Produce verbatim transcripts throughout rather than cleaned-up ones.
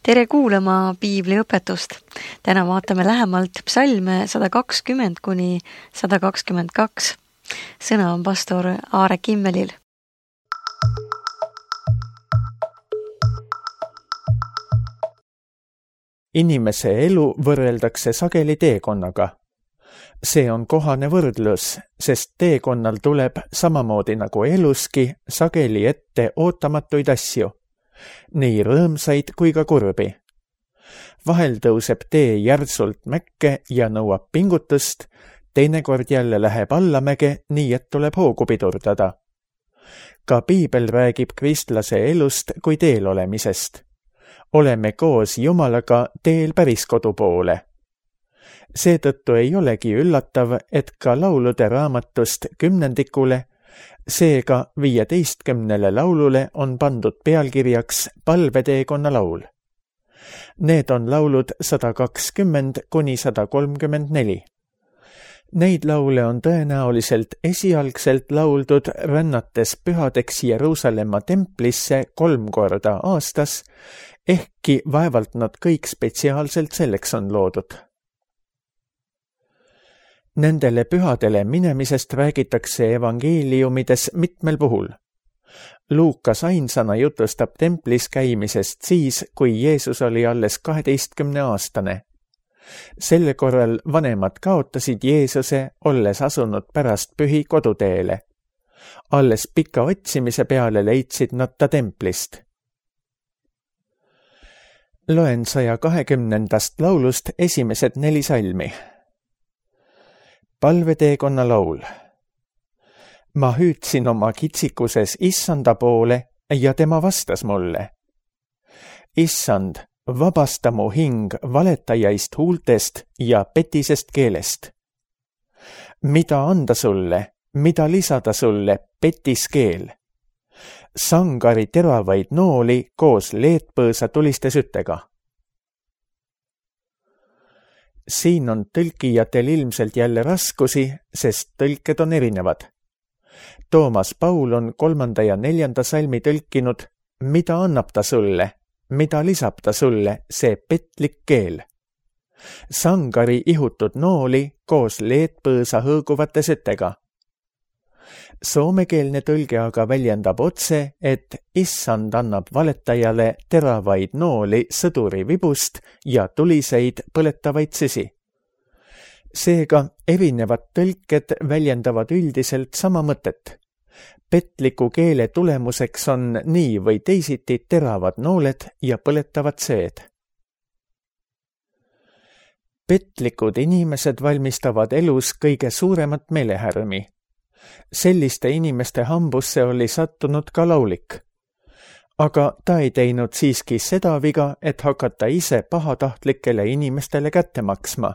Tere kuulama piibliõpetust. Täna vaatame lähemalt psalme sada kakskümmend kuni sada kakskümmend kaks. Sõna on pastor Aare Kimmelil. Inimese elu võrreldakse sageli teekonnaga. See on kohane võrdlus, sest teekonnal tuleb samamoodi nagu eluski sageli ette ootamatuid asju, nii rõõmsaid kui ka kurbi. Vahel tõuseb tee järsult mäkke ja nõuab pingutust, teinekord jälle läheb allamäge, nii et tuleb hoogu pidurdada. Ka piibel räägib kristlase elust kui teel olemisest. Oleme koos Jumalaga teel päris kodu poole. Seetõttu ei olegi üllatav, et ka laulude raamatust kümnendikule, seega viieteistkümnele laulule on pandud pealkirjaks palveteekonna laul. Need on laulud sada kakskümmend kuni sada kolmkümmend neli. Neid laule on tõenäoliselt esialgselt lauldud rännates pühadeks Jeruusalemma templisse kolm korda aastas, ehkki vaevalt nad kõik spetsiaalselt selleks on loodud. Nendele pühadele minemisest räägitakse evangeeliumides mitmel puhul. Luukas ainsana jutustab templis käimisest siis, kui Jeesus oli alles kaheteistkümne aastane. Selle korral vanemad kaotasid Jeesuse, olles asunud pärast pühi koduteele. Alles pika otsimise peale leidsid nad ta templist. Loen saja kahekümnendast laulust esimesed neli salmi. Palveteekonna laul. Ma hüüdsin oma kitsikuses Issanda poole ja tema vastas mulle. Issand, vabasta mu hing valetajaist huultest ja petisest keelest. Mida anda sulle, mida lisada sulle petis keel? Sangari teravaid nooli koos leetpõõsa tuliste süttega. Siin on tõlkijatel ilmselt jälle raskusi, sest tõlked on erinevad. Toomas Paul on kolmanda ja neljanda salmi tõlkinud, mida annab ta sulle, mida lisab ta sulle, see petlik keel. Sangari ihutud nooli koos leetpõõsa hõõguvate süttega. Soomekeelne tõlge aga väljendab otse, et Issand annab valetajale teravaid nooli sõduri vibust ja tuliseid põletavaid süsi. Seega erinevad tõlked väljendavad üldiselt sama mõtet. Petliku keele tulemuseks on nii või teisiti teravad nooled ja põletavad sööd. Petlikud inimesed valmistavad elus kõige suuremat meelehärmi. Selliste inimeste hambusse oli sattunud ka laulik. Aga ta ei teinud siiski seda viga, et hakata ise pahatahtlikele inimestele kätte maksma,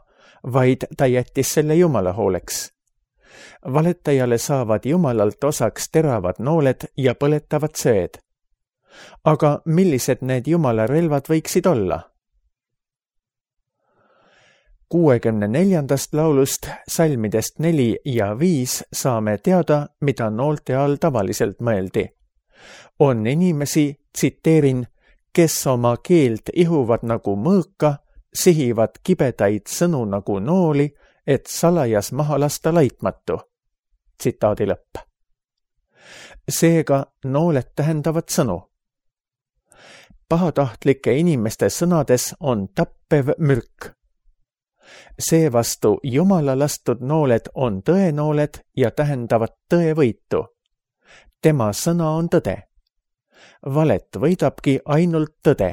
vaid ta jättis selle Jumala hooleks. Valetajale saavad Jumalalt osaks teravad nooled ja põletavad sööd. Aga millised need Jumala relvad võiksid olla? kuuekümne neljandast laulust, salmidest neli ja viis saame teada, mida noolte all tavaliselt mõeldi. On inimesi, tsiteerin, kes oma keelt ihuvad nagu mõõka, sihivad kibedaid sõnu nagu nooli, et salajas maha lasta laitmatu. Tsitaadi lõpp. Seega nooled tähendavad sõnu. Pahatahtlike inimeste sõnades on tappev mürk. Seevastu Jumala lastud nooled on tõenooled ja tähendavad tõevõitu. Tema sõna on tõde. Valet võidabki ainult tõde.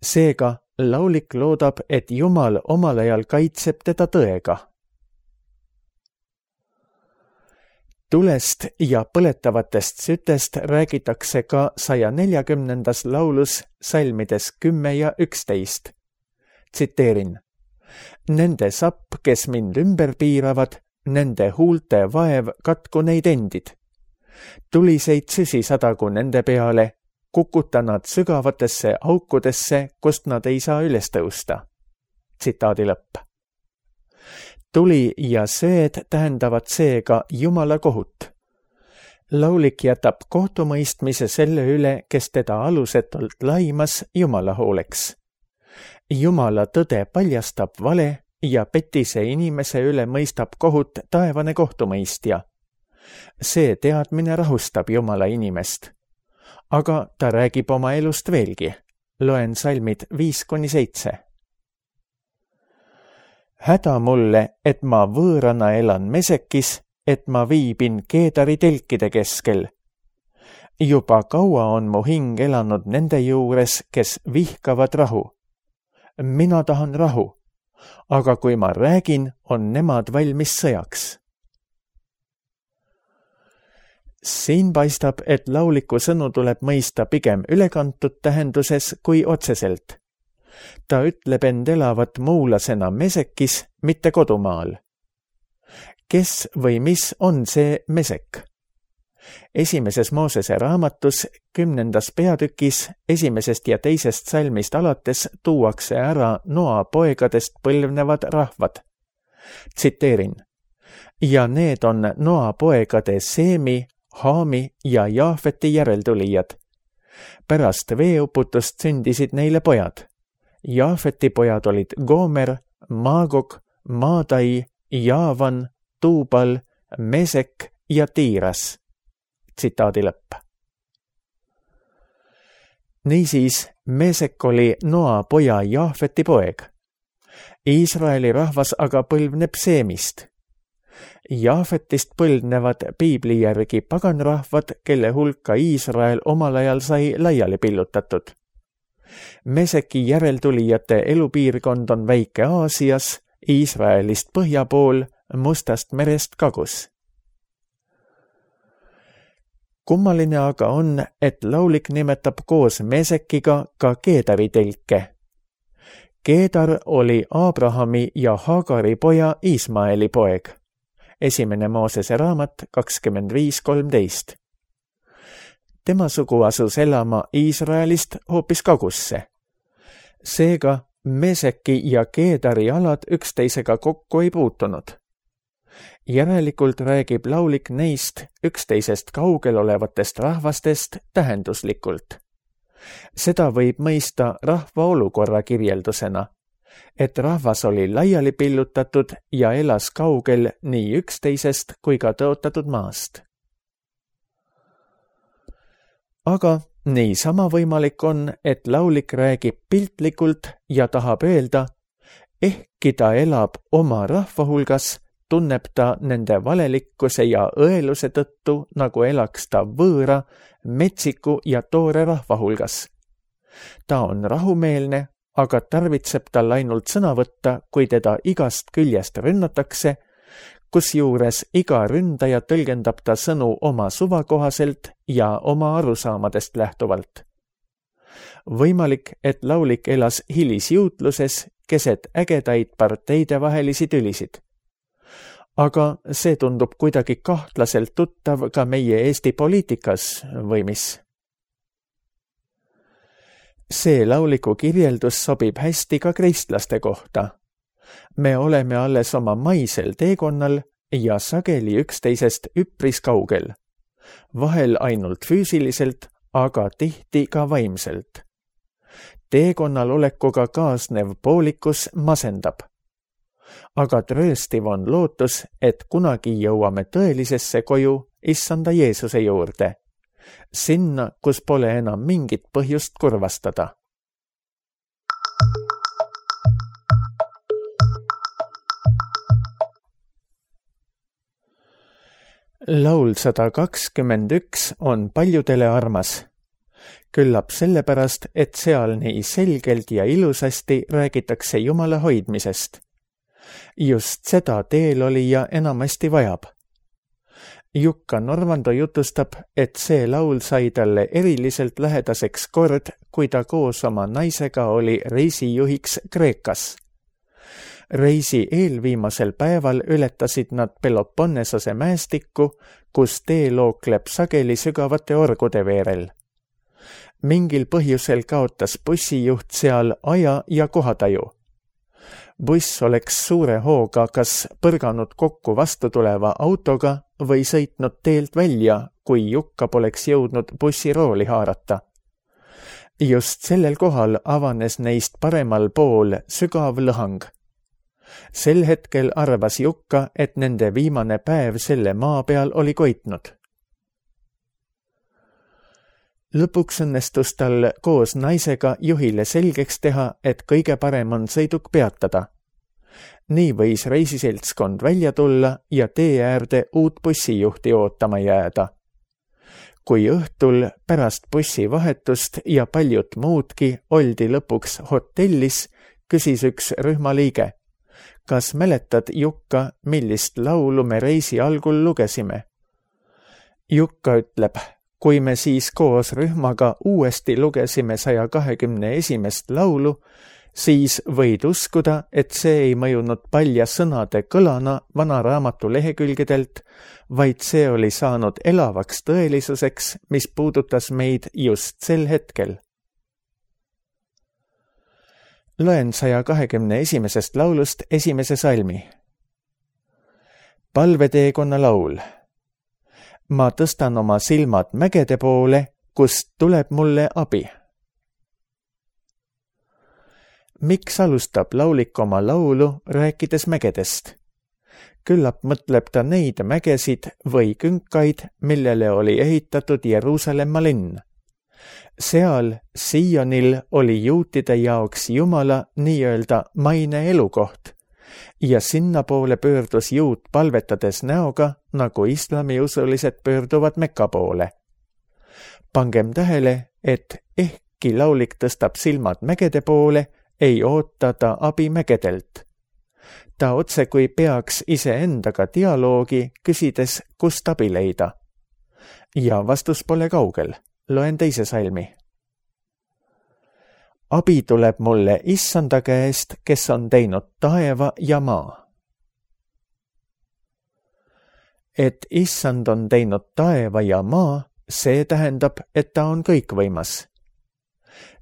Seega laulik loodab, et Jumal omal ajal kaitseb teda tõega. Tulest ja põletavatest sütest räägitakse ka saja neljakümnendas laulus salmides kümme ja üksteist. Tsiteerin. Nende sapp, kes mind ümber piiravad, nende huulte vaev katku neid endid. Tuliseid süsi sadagu nende peale, kukuta nad sügavatesse aukudesse, kust nad ei saa üles tõusta. Tsitaadi lõpp. Tuli ja sööd tähendavad seega Jumala kohut. Laulik jätab kohtumõistmise selle üle, kes teda alusetult laimas, Jumala hooleks. Jumala tõde paljastab vale ja petise inimese üle mõistab kohut taevane kohtumõistja. See teadmine rahustab Jumala inimest. Aga ta räägib oma elust veelgi. Loen salmid viis kuni seitse. Häda mulle, et ma võõrana elan Mesekis, et ma viibin Keedari telkide keskel. Juba kaua on mu hing elanud nende juures, kes vihkavad rahu. Mina tahan rahu, aga kui ma räägin, on nemad valmis sõjaks. Siin paistab, et lauliku sõnu tuleb mõista pigem ülekantud tähenduses kui otseselt. Ta ütleb end elavat muulasena Mesekis, mitte kodumaal. Kes või mis on see Mesek? Esimeses Moosese raamatus, kümnendas peatükis, esimesest ja teisest salmist alates tuuakse ära Noa poegadest põlvnevad rahvad. Tsiteerin. Ja need on Noa poegade Seemi, Haami ja Jaafeti järeltulijad. Pärast veeuputust sündisid neile pojad. Jaafeti pojad olid Gomer, Maagog, Maadai, Jaavan, Tuubal, Mesek ja Tiiras. Tsitaadi lõpp. Niisiis, Mesek oli Noa poja Jaafeti poeg. Iisraeli rahvas aga põlvneb Seemist. Jaafetist põlvnevad piibli järgi paganrahvad, kelle hulka Iisrael omal ajal sai laiali pillutatud. Meseki järeltulijate elupiirkond on väike Aasias, Iisraelist põhja pool, Mustast merest kagus. Kummaline aga on, et laulik nimetab koos Mesekiga ka Keedari telke. Keedar oli Abrahami ja Hagari poja Ismaeli poeg. Esimene Moosese raamat kakskümmend viis kolmteist. Tema sugu asus elama Iisraelist hoopis kagusse. Seega Meseki ja Keedari alad üksteisega kokku ei puutunud. Järelikult räägib laulik neist üksteisest kaugel olevatest rahvastest tähenduslikult. Seda võib mõista rahva olukorra kirjeldusena, et rahvas oli laiali pillutatud ja elas kaugel nii üksteisest kui ka tõotatud maast. Aga niisama võimalik on, et laulik räägib piltlikult ja tahab öelda, ehkki ta elab oma rahva hulgas, tunneb ta nende valelikkuse ja õeluse tõttu, nagu elaks ta võõra, metsiku ja toore rahva hulgas. Ta on rahumeelne, aga tarvitseb tal ainult sõna võtta, kui teda igast küljest rünnatakse, kusjuures iga ründaja tõlgendab ta sõnu oma suva kohaselt ja oma arusaamadest lähtuvalt. Võimalik, et laulik elas hilisjuutluses keset ägedaid parteide vahelisi tülisid. Aga see tundub kuidagi kahtlaselt tuttav ka meie Eesti poliitikas või mis? See lauliku kirjeldus sobib hästi ka kristlaste kohta. Me oleme alles oma maisel teekonnal ja sageli üksteisest üpris kaugel. Vahel ainult füüsiliselt, aga tihti ka vaimselt. Teekonnal olekuga kaasnev poolikus masendab. Aga trööstiv on lootus, et kunagi jõuame tõelisesse koju Issanda Jeesuse juurde, sinna, kus pole enam mingit põhjust kurvastada. Laul sada kakskümmend üks on paljudele armas. Küllap sellepärast, et seal nii selgelt ja ilusasti räägitakse Jumala hoidmisest. Just seda teelolija enamasti vajab. Jukka Normando jutustab, et see laul sai talle eriliselt lähedaseks kord, kui ta koos oma naisega oli reisijuhiks Kreekas. Reisi eelviimasel päeval ületasid nad Peloponnesose mäestikku, kus tee lookleb sageli sügavate orgude veerel. Mingil põhjusel kaotas bussijuht seal aja ja kohataju. Buss oleks suure hooga kas põrganud kokku vastu tuleva autoga või sõitnud teelt välja, kui Jukka poleks jõudnud bussirooli haarata. Just sellel kohal avanes neist paremal pool sügav lõhang. Sel hetkel arvas Jukka, et nende viimane päev selle maa peal oli koitnud. Lõpuks õnnestus tal koos naisega juhile selgeks teha, et kõige parem on sõiduk peatada. Nii võis reisiseltskond välja tulla ja tee äärde uut bussijuhti ootama jääda. Kui õhtul pärast bussivahetust ja paljut muudki oldi lõpuks hotellis, küsis üks rühmaliige. Kas mäletad, Jukka, millist laulu me reisi algul lugesime? Jukka ütleb, kui me siis koos rühmaga uuesti lugesime saja kahekümne esimest laulu, siis võid uskuda, et see ei mõjunud palja sõnade kõlana vana raamatu lehekülgedelt, vaid see oli saanud elavaks tõelisuseks, mis puudutas meid just sel hetkel. Loen saja kahekümne esimesest laulust esimese salmi. Palveteekonna laul. Ma tõstan oma silmad mägede poole, kust tuleb mulle abi. Miks alustab laulik oma laulu, rääkides mägedest? Küllap mõtleb ta neid mägesid või künkaid, millele oli ehitatud Jeruusalemma linn. Seal, Sionil, oli juutide jaoks Jumala nii-öelda maine elukoht ja sinna poole pöördus juut palvetades näoga, nagu islamiusulised pöörduvad Mekka poole. Pangem tähele, et ehkki laulik tõstab silmad mägede poole, ei oota ta abi mägedelt. Ta otse kui peaks iseendaga dialoogi, küsides, kust abi leida. Ja vastus pole kaugel. Loen teise salmi. Abi tuleb mulle Issanda käest, kes on teinud taeva ja maa. Et Issand on teinud taeva ja maa, see tähendab, et ta on kõikvõimas.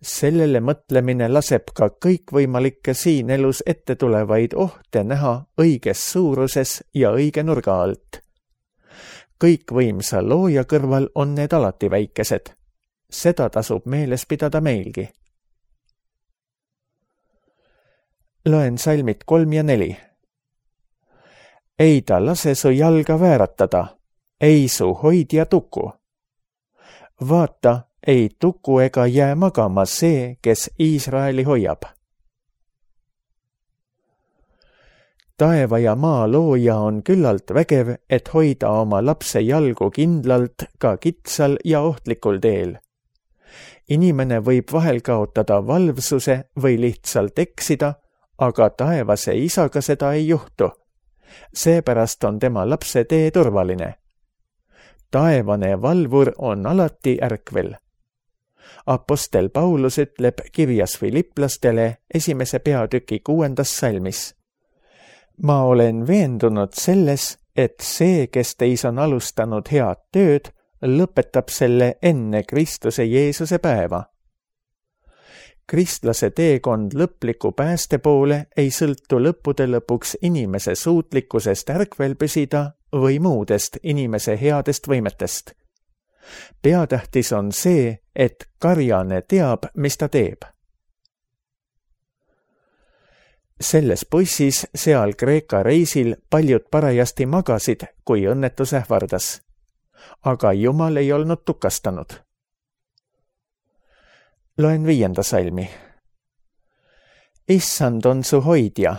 Sellele mõtlemine laseb ka kõikvõimalikke siin elus ette tulevaid ohte näha õiges suuruses ja õige nurga alt. Kõikvõimsa looja kõrval on need alati väikesed. Seda tasub meeles pidada meilgi. Loen salmid kolm ja neli. Ei ta lase su jalga vääratada, ei su hoidja tuku. Vaata, ei tuku ega jää magama see, kes Iisraeli hoiab. Taeva ja maa looja on küllalt vägev, et hoida oma lapse jalgu kindlalt ka kitsal ja ohtlikul teel. Inimene võib vahel kaotada valvsuse või lihtsalt eksida, aga taevase isaga seda ei juhtu. Seepärast on tema lapse tee turvaline. Taevane valvur on alati ärkvel. Apostel Paulus ütleb kirjas Filiplastele esimese peatüki kuuendas salmis. Ma olen veendunud selles, et see, kes teis on alustanud head tööd, lõpetab selle enne Kristuse Jeesuse päeva. Kristlase teekond lõpliku pääste poole ei sõltu lõppude lõpuks inimese suutlikkusest ärkvel püsida või muudest inimese headest võimetest. Peatähtis on see, et karjane teab, mis ta teeb. Selles bussis seal Kreeka reisil paljud parajasti magasid, kui õnnetus ähvardas. Aga Jumal ei olnud tukastanud. Loen viienda salmi. Issand on su hoidja,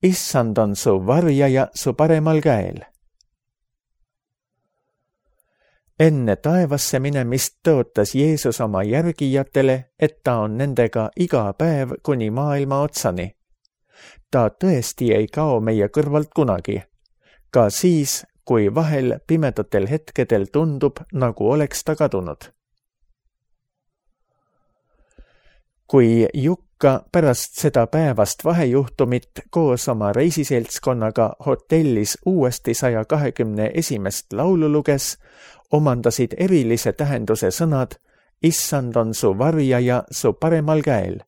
Issand on su varjaja su paremal käel. Enne taevasse minemist tõotas Jeesus oma järgijatele, et ta on nendega iga päev kuni maailma otsani. Ta tõesti ei kao meie kõrvalt kunagi, ka siis, kui vahel pimedatel hetkedel tundub, nagu oleks ta kadunud. Kui Jukka pärast seda päevast vahejuhtumit koos oma reisiseltskonnaga hotellis uuesti saja kahekümne esimest laulu luges, omandasid erilise tähenduse sõnad Issand on su varjaja su paremal käel.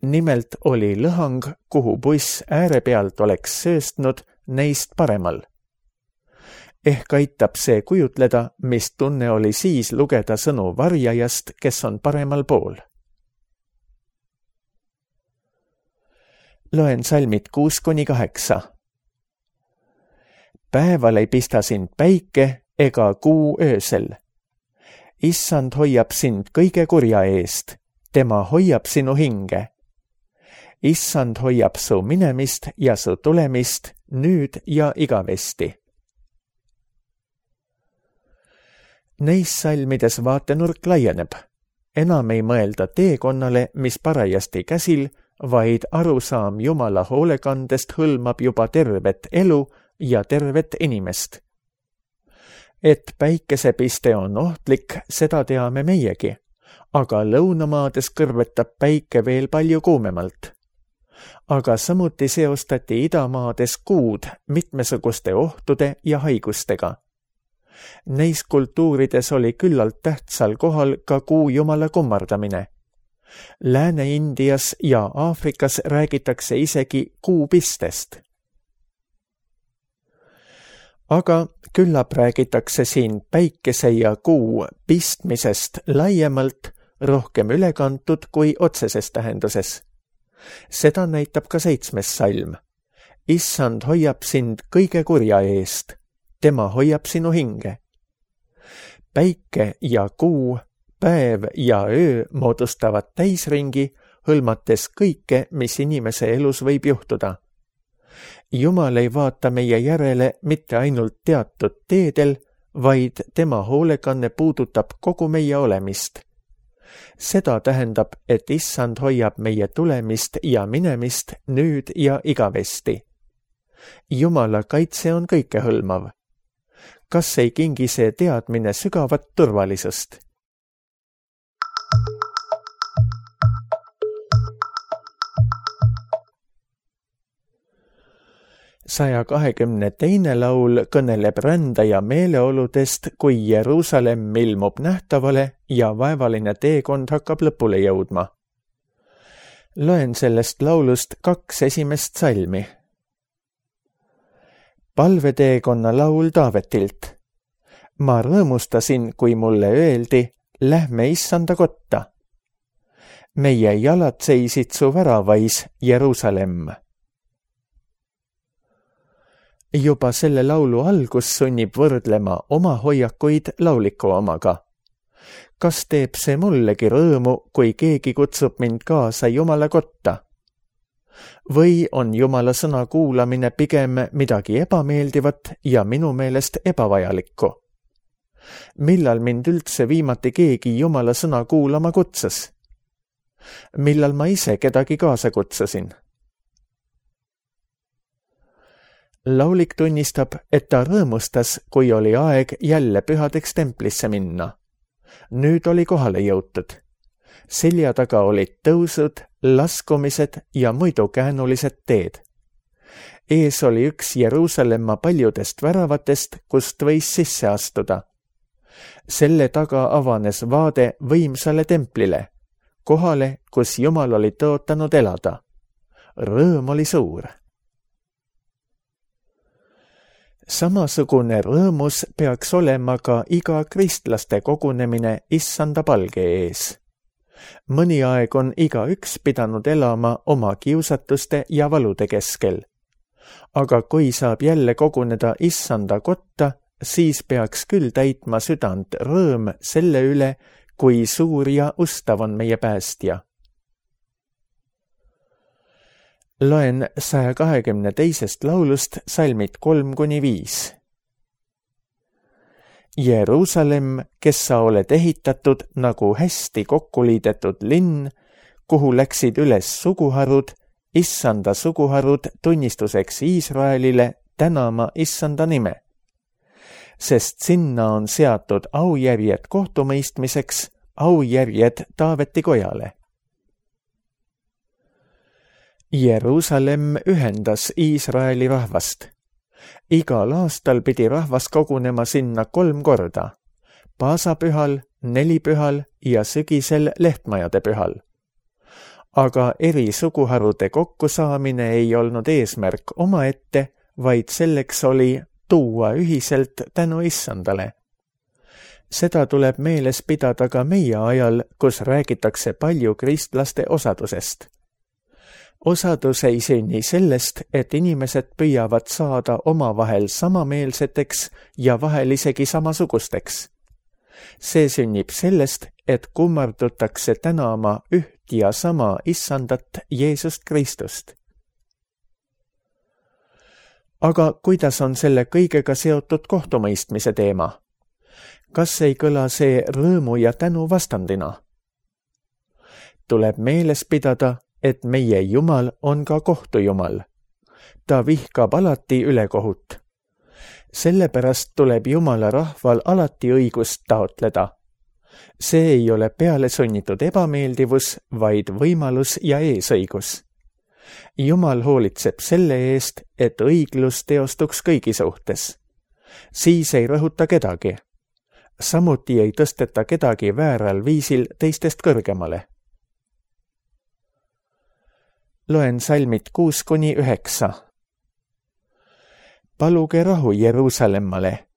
Nimelt oli lõhang, kuhu buss ääre pealt oleks sööstnud, neist paremal. Ehk aitab see kujutleda, mis tunne oli siis lugeda sõnu varjajast, kes on paremal pool. Loen salmid kuus kuni kaheksa. Päeval ei pista sind päike ega kuu öösel. Issand hoiab sind kõige kurja eest, tema hoiab sinu hinge. Issand hoiab su minemist ja su tulemist nüüd ja igavesti. Neis salmides vaatenurk laieneb. Enam ei mõelda teekonnale, mis parajasti käsil, vaid arusaam Jumala hoolekandest hõlmab juba tervet elu ja tervet inimest. Et päikesepiste on ohtlik, seda teame meiegi, aga lõunamaades kõrvetab päike veel palju kuumemalt. Aga samuti seostati idamaades kuud mitmesuguste ohtude ja haigustega. Neis kultuurides oli küllalt tähtsal kohal ka kuu jumala kummardamine. Lääne-Indias ja Aafrikas räägitakse isegi kuupistest. Aga küllap räägitakse siin päikese ja kuu pistmisest laiemalt, rohkem ülekantud kui otseses tähenduses. Seda näitab ka seitsmes salm. Issand hoiab sind kõige kurja eest, tema hoiab sinu hinge. Päike ja kuu, päev ja öö moodustavad täisringi, hõlmates kõike, mis inimese elus võib juhtuda. Jumal ei vaata meie järele mitte ainult teatud teedel, vaid tema hoolekanne puudutab kogu meie olemist. Seda tähendab, et issand hoiab meie tulemist ja minemist nüüd ja igavesti. Jumala kaitse on kõikehõlmav. Kas ei kingi see teadmine sügavat turvalisust? saja kahekümne teine laul kõneleb rändaja meeleoludest, kui Jeruusalemm ilmub nähtavale ja vaevaline teekond hakkab lõpule jõudma. Loen sellest laulust kaks esimest salmi. Palveteekonna laul Taavetilt. Ma rõõmustasin, kui mulle öeldi, lähme issanda kotta. Meie jalad seisid su väravais, Jeruusalemm. Juba selle laulu algus sunnib võrdlema oma hoiakuid lauliku omaga. Kas teeb see mullegi rõõmu, kui keegi kutsub mind kaasa Jumala kotta? Või on Jumala sõna kuulamine pigem midagi ebameeldivat ja minu meelest ebavajalikku? Millal mind üldse viimati keegi Jumala sõna kuulama kutsus? Millal ma ise kedagi kaasa kutsusin? Laulik tunnistab, et ta rõõmustas, kui oli aeg jälle pühadeks templisse minna. Nüüd oli kohale jõutud. Selja taga olid tõusud, laskumised ja muidu käänulised teed. Ees oli üks Jeruusalemma paljudest väravatest, kust võis sisse astuda. Selle taga avanes vaade võimsale templile, kohale, kus Jumal oli tõotanud elada. Rõõm oli suur. Samasugune rõõmus peaks olema ka iga kristlaste kogunemine issanda palge ees. Mõni aeg on igaüks pidanud elama oma kiusatuste ja valude keskel. Aga kui saab jälle koguneda issanda kotta, siis peaks küll täitma südant rõõm selle üle, kui suur ja ustav on meie päästja. Loen saja kahekümne teisest laulust salmid kolm kuni viis. Jeruusalemm, kes sa oled ehitatud nagu hästi kokku liidetud linn, kuhu läksid üles suguharud, issanda suguharud tunnistuseks Iisraelile tänama issanda nime. Sest sinna on seatud aujärjed kohtumõistmiseks, aujärjed Taaveti kojale. Jeruusalemm ühendas Iisraeli rahvast. Igal aastal pidi rahvas kogunema sinna kolm korda, paasapühal, nelipühal ja sügisel lehtmajade pühal. aga eri suguharude kokkusaamine ei olnud eesmärk omaette, vaid selleks oli tuua ühiselt tänu Issandale. Seda tuleb meeles pidada ka meie ajal, kus räägitakse palju kristlaste osadusest. Osadus ei sünni sellest, et inimesed püüavad saada omavahel samameelseteks ja vahel isegi samasugusteks. See sünnib sellest, et kummardutakse tänama üht ja sama Issandat Jeesust Kristust. Aga kuidas on selle kõigega seotud kohtumõistmise teema? Kas ei kõla see rõõmu ja tänu vastandina? Tuleb meeles pidada, et meie Jumal on ka kohtujumal. Ta vihkab alati ülekohut. Sellepärast tuleb Jumala rahval alati õigust taotleda. See ei ole peale sunnitud ebameeldivus, vaid võimalus ja eesõigus. Jumal hoolitseb selle eest, et õiglus teostuks kõigi suhtes. Siis ei rõhuta kedagi. Samuti ei tõsteta kedagi vääral viisil teistest kõrgemale. Loen salmid kuus kuni üheksa. Paluge rahu Jeruusalemmale.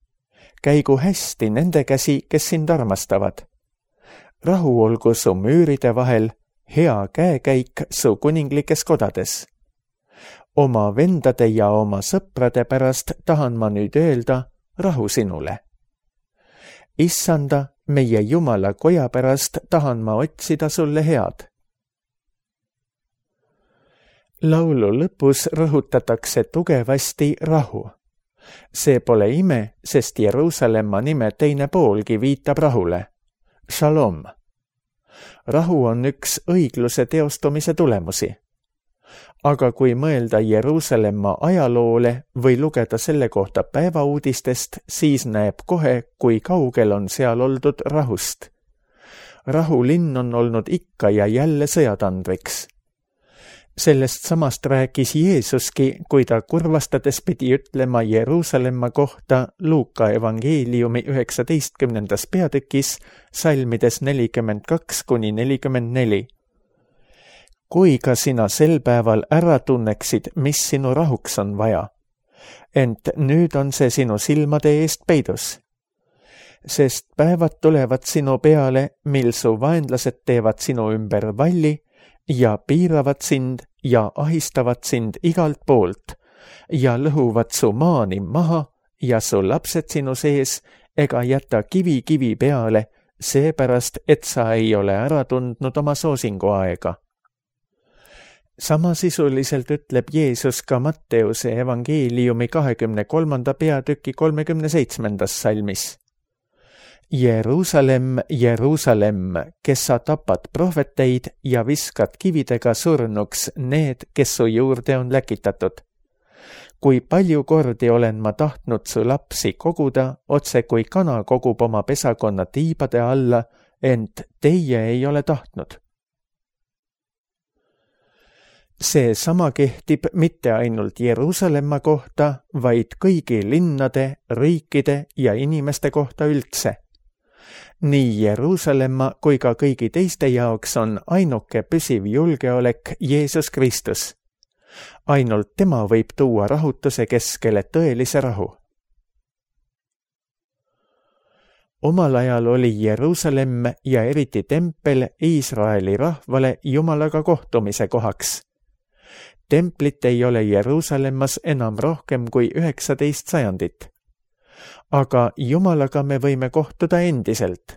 Käigu hästi nende käsi, kes sind armastavad. Rahu olgu su müüride vahel, hea käekäik su kuninglikes kodades. Oma vendade ja oma sõprade pärast tahan ma nüüd öelda rahu sinule. Issanda, meie Jumala koja pärast tahan ma otsida sulle head. Laulu lõpus rõhutatakse tugevasti rahu. See pole ime, sest Jeruusalemma nime teine poolgi viitab rahule. Shalom. Rahu on üks õigluse teostumise tulemusi. Aga kui mõelda Jeruusalemma ajaloole või lugeda selle kohta päevauudistest, siis näeb kohe, kui kaugel on seal oldud rahust. Rahulinn on olnud ikka ja jälle sõjatandriks. Sellest samast rääkis Jeesuski, kui ta kurvastades pidi ütlema Jeruusalemma kohta Luuka evangeeliumi üheksateistkümnendas peatükis salmides nelikümmend kaks kuni nelikümmend neli. Kui ka sina sel päeval ära tunneksid, mis sinu rahuks on vaja, ent nüüd on see sinu silmade eest peidus. Sest päevad tulevad sinu peale, mil su vaenlased teevad sinu ümber valli ja piiravad sind ja ahistavad sind igalt poolt ja lõhuvad su maani maha ja su lapsed sinu sees ega jäta kivi kivi peale, seepärast, et sa ei ole ära tundnud oma soosingu aega. Samasisuliselt ütleb Jeesus ka Matteuse evangeeliumi kahekümne kolmanda peatüki kolmekümne seitsmendas salmis. Jeruusalemm, Jeruusalemm, kes sa tapad prohveteid ja viskad kividega surnuks need, kes su juurde on läkitatud. Kui palju kordi olen ma tahtnud su lapsi koguda, otse kui kana kogub oma pesakonna tiibade alla, ent teie ei ole tahtnud. See sama kehtib mitte ainult Jeruusalemma kohta, vaid kõigi linnade, riikide ja inimeste kohta üldse. Nii Jeruusalemma kui ka kõigi teiste jaoks on ainuke püsiv julgeolek Jeesus Kristus. Ainult tema võib tuua rahutuse keskele tõelise rahu. Omal ajal oli Jeruusalemm ja eriti tempel Iisraeli rahvale Jumalaga kohtumise kohaks. Templit ei ole Jeruusalemmas enam rohkem kui üheksateist sajandit. Aga Jumalaga me võime kohtuda endiselt.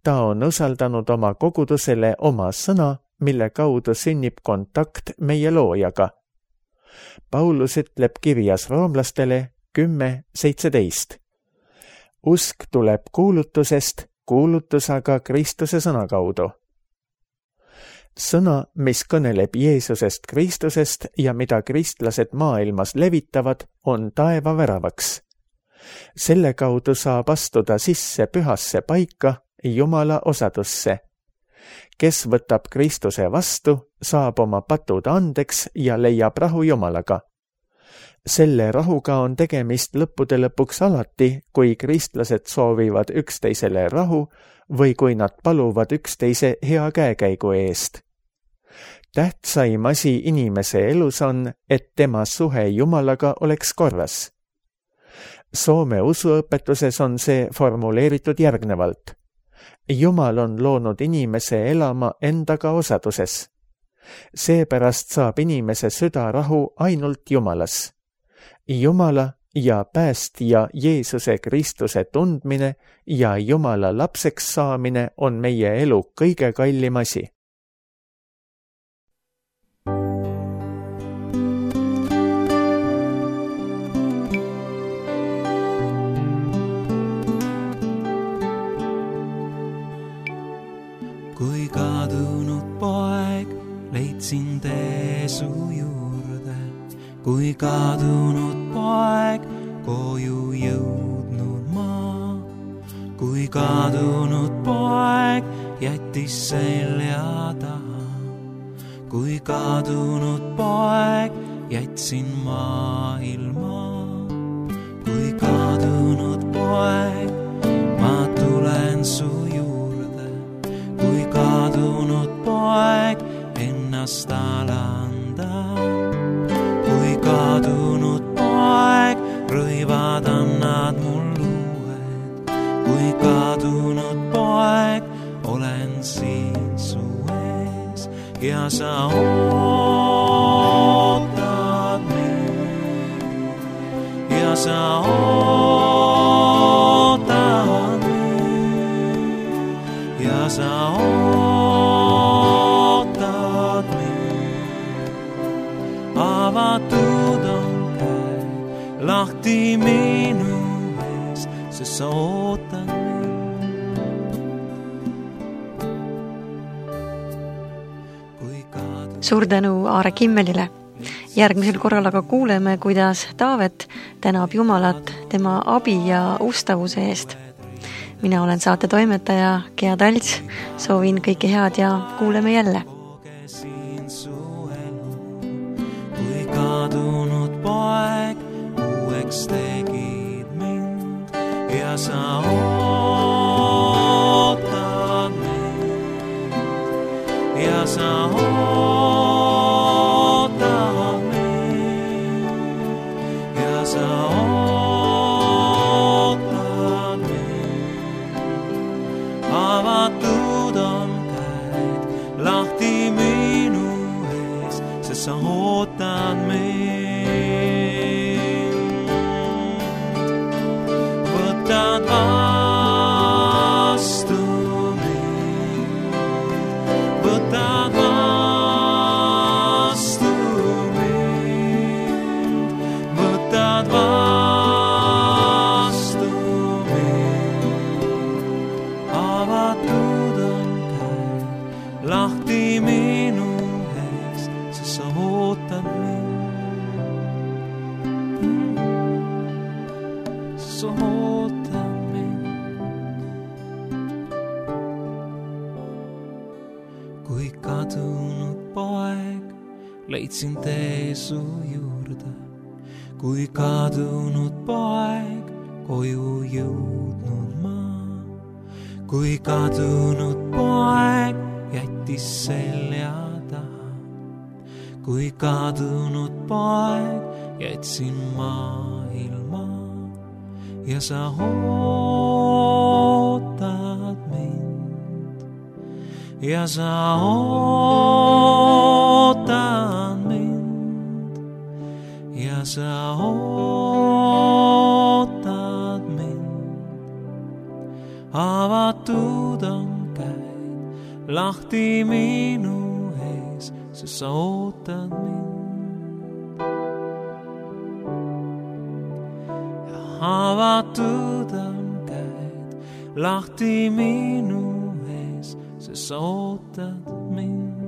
Ta on usaldanud oma kogudusele oma sõna, mille kaudu sünnib kontakt meie loojaga. Paulus ütleb kirjas roomlastele kümme seitseteist. Usk tuleb kuulutusest, kuulutus aga Kristuse sõna kaudu. Sõna, mis kõneleb Jeesusest Kristusest ja mida kristlased maailmas levitavad, on taeva väravaks. Selle kaudu saab astuda sisse pühasse paika Jumala osadusse. Kes võtab Kristuse vastu, saab oma patud andeks ja leiab rahu Jumalaga. Selle rahuga on tegemist lõppude lõpuks alati, kui kristlased soovivad üksteisele rahu või kui nad paluvad üksteise hea käekäigu eest. Tähtsaim asi inimese elus on, et tema suhe Jumalaga oleks korras. Soome usuõpetuses on see formuleeritud järgnevalt. Jumal on loonud inimese elama endaga osaduses. Seepärast saab inimese süda rahu ainult Jumalas. Jumala ja päästja Jeesuse Kristuse tundmine ja Jumala lapseks saamine on meie elu kõige kallim asi. Kui kadunud poeg leidsin tee su juurde, kui kadunud poeg koju jõudnud ma, kui kadunud poeg jättis selja taha, kui kadunud poeg jätsin maailma, kui kadunud poeg ma tulen su juurde, kui kadunud poeg ennast alanda, kui kadunud poeg rõivad annad mul uued, kui kadunud poeg olen siin su ees ja sa ootad mind ja sa ootad mind ja sa ootad mind. Avatud on käed lahti minu ees, sest sa ootad mind. Suur tänu Aare Kimmelile. Järgmisel korral aga kuuleme, kuidas Taavet tänab Jumalat tema abi ja ustavuse eest. Mina olen saate toimetaja Gea Talts, soovin kõike head ja kuuleme jälle. Kui kadunud poeg uueks tegid mind ja sa ootad mind ja sa ootad mind ja sa ootad mind. Avatud on käed lahti minu ees, sest sa ootad mind. Võtad vastu mind, võtad vastu mind, võtad vastu mind. Avatud on käed lahti minu ees, sest sa ootad mind. Sa ootad mind. Kui kadunud poeg leidsin tee su juurde, kui kadunud poeg koju jõudnud ma, kui kadunud poeg jättis selja taha, kui kadunud poeg jätsin maailma ja sa ootad mind ja sa ootad mind ja sa ootad mind. Avatud on käed lahti minu ees, sest sa ootad mind. Ja avatud on käed lahti minu ees, sest sa ootad mind.